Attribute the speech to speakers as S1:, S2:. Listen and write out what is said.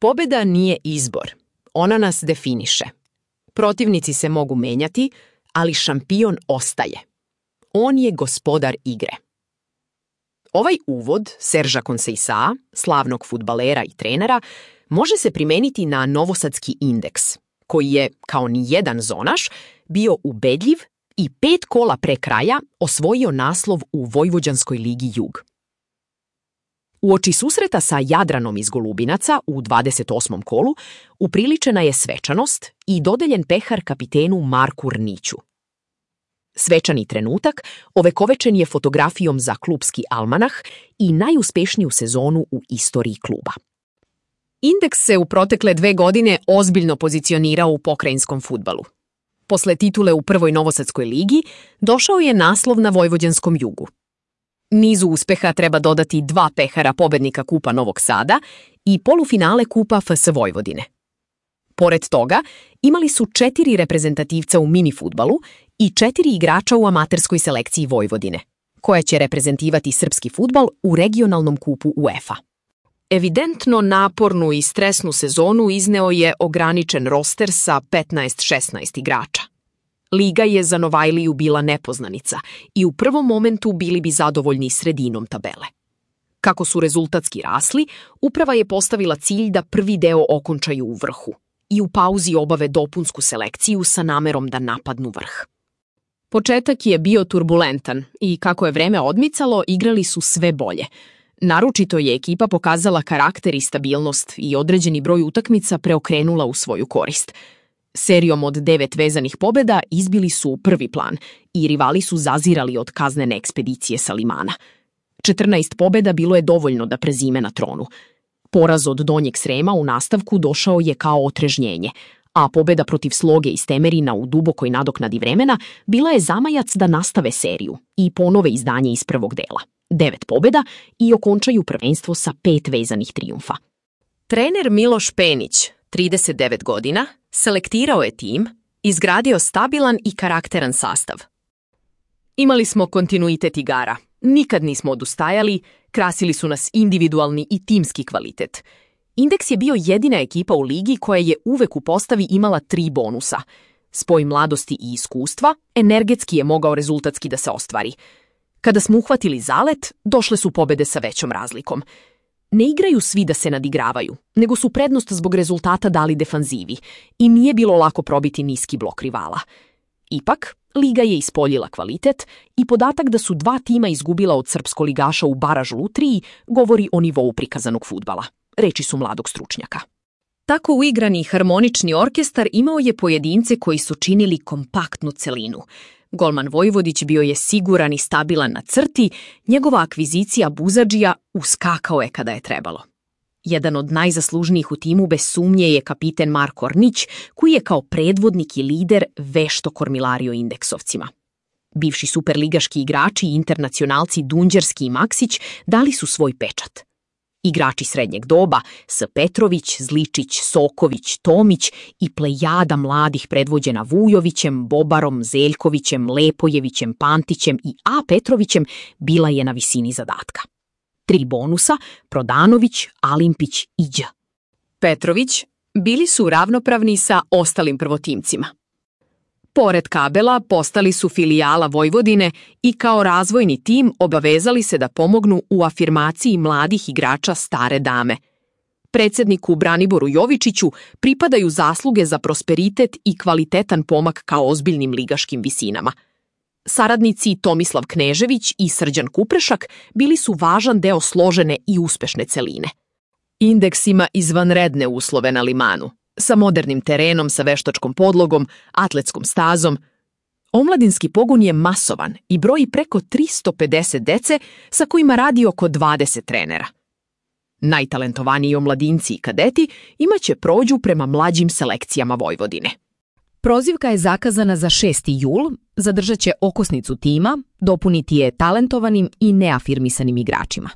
S1: Pobeda nije izbor. Ona nas definiše. Protivnici se mogu menjati, ali šampion ostaje. On je gospodar igre. Ovaj uvod Serža Konseisaa, slavnog fudbalera i trenera, može se primeniti na novosadski Indeks, koji je, kao ni jedan zonaš, bio ubedljiv i 5 kola pre kraja osvojio naslov u Vojvođanskoj ligi Jug. Uoči susreta sa Jadranom iz Golubinaca u 28. kolu upriličena je svečanost i dodeljen pehar kapitenu Marku Rniću. Svečani trenutak ovekovečen je fotografijom za klubski almanah i najuspešniju sezonu u istoriji kluba. Indeks se u protekle 2 godine ozbiljno pozicionirao u pokrajinskom fudbalu. Posle titule u prvoj novosadskoj ligi došao je naslov na Vojvođanskom Jugu. Nizu uspeha treba dodati 2 pehara pobednika Kupa Novog Sada i polufinale Kupa FS Vojvodine. Pored toga, imali su 4 reprezentativca u mini fudbalu i 4 igrača u amaterskoj selekciji Vojvodine, koja će reprezentivati srpski fudbal u regionalnom kupu UEFA. Evidentno napornu i stresnu sezonu izneo je ograničen roster sa 15-16 igrača. Liga je za Novajliju bila nepoznanica i u prvom momentu bili bi zadovoljni sredinom tabele. Kako su rezultatski rasli, uprava je postavila cilj da prvi deo okončaju u vrhu i u pauzi obave dopunsku selekciju sa namerom da napadnu vrh. Početak je bio turbulentan i kako je vreme odmicalo, igrali su sve bolje. Naročito je ekipa pokazala karakter i stabilnost i određeni broj utakmica preokrenula u svoju korist. Serijom od 9 vezanih pobjeda izbili su u prvi plan i rivali su zazirali od kaznene ekspedicije sa Limana. 14 pobjeda bilo je dovoljno da prezime na tronu. Poraz od Donjeg Srema u nastavku došao je kao otrežnjenje, a pobjeda protiv Sloge iz Temerina u dubokoj nadoknadi vremena bila je zamajac da nastave seriju i ponove izdanje iz prvog dela. 9 pobjeda i okončaju prvenstvo sa 5 vezanih trijumfa. Trener Miloš Penić, 39 godina, selektirao je tim, izgradio stabilan i karakteran sastav. Imali smo kontinuitet igara, nikad nismo odustajali, krasili su nas individualni i timski kvalitet. Indeks je bio jedina ekipa u ligi koja je uvek u postavi imala 3 bonusa. Spoj mladosti i iskustva, energetski je mogao rezultatski da se ostvari. Kada smo uhvatili zalet, došle su pobjede sa većom razlikom. Ne igraju svi da se nadigravaju, nego su prednost zbog rezultata dali defanzivi i nije bilo lako probiti niski blok rivala. Ipak, liga je ispoljila kvalitet i podatak da su 2 tima izgubila od srpskoligaša u baražu Lutriji govori o nivou prikazanog fudbala. Reči su mladog stručnjaka. Tako uigrani harmonični orkestar imao je pojedince koji su činili kompaktnu celinu. Golman Vojvodić bio je siguran i stabilan na crti, njegova akvizicija Buzadžija uskakao je kada je trebalo. Jedan od najzaslužnijih u timu bez sumnje je kapiten Marko Rnić, koji je kao predvodnik i lider vešto kormilario indeksovcima. Bivši superligaški igrači i internacionalci Dunđerski i Maksić dali su svoj pečat. Igrači srednjeg doba S. Petrović, Zličić, Soković, Tomić i plejada mladih predvođena Vujovićem, Bobarom, Zeljkovićem, Lepojevićem, Pantićem i A. Petrovićem bila je na visini zadatka. 3 bonusa, Prodanović, Alimpić i Đ. Petrović bili su ravnopravni sa ostalim prvotimcima. Pored Kabela postali su filijala Vojvodine i kao razvojni tim obavezali se da pomognu u afirmaciji mladih igrača stare dame. Predsjedniku Braniboru Jovičiću pripadaju zasluge za prosperitet i kvalitetan pomak kao ozbiljnim ligaškim visinama. Saradnici Tomislav Knežević i Srđan Kuprešak bili su važan deo složene i uspešne celine. Indeks ima izvanredne uslove na Limanu, sa modernim terenom, sa veštačkom podlogom, atletskom stazom. Omladinski pogon je masovan i broji preko 350 dece sa kojima radi oko 20 trenera. Najtalentovaniji omladinci i kadeti imaće prođu prema mlađim selekcijama Vojvodine. Prozivka je zakazana za 6. jul, zadržat će okosnicu tima, dopuniti je talentovanim i neafirmisanim igračima.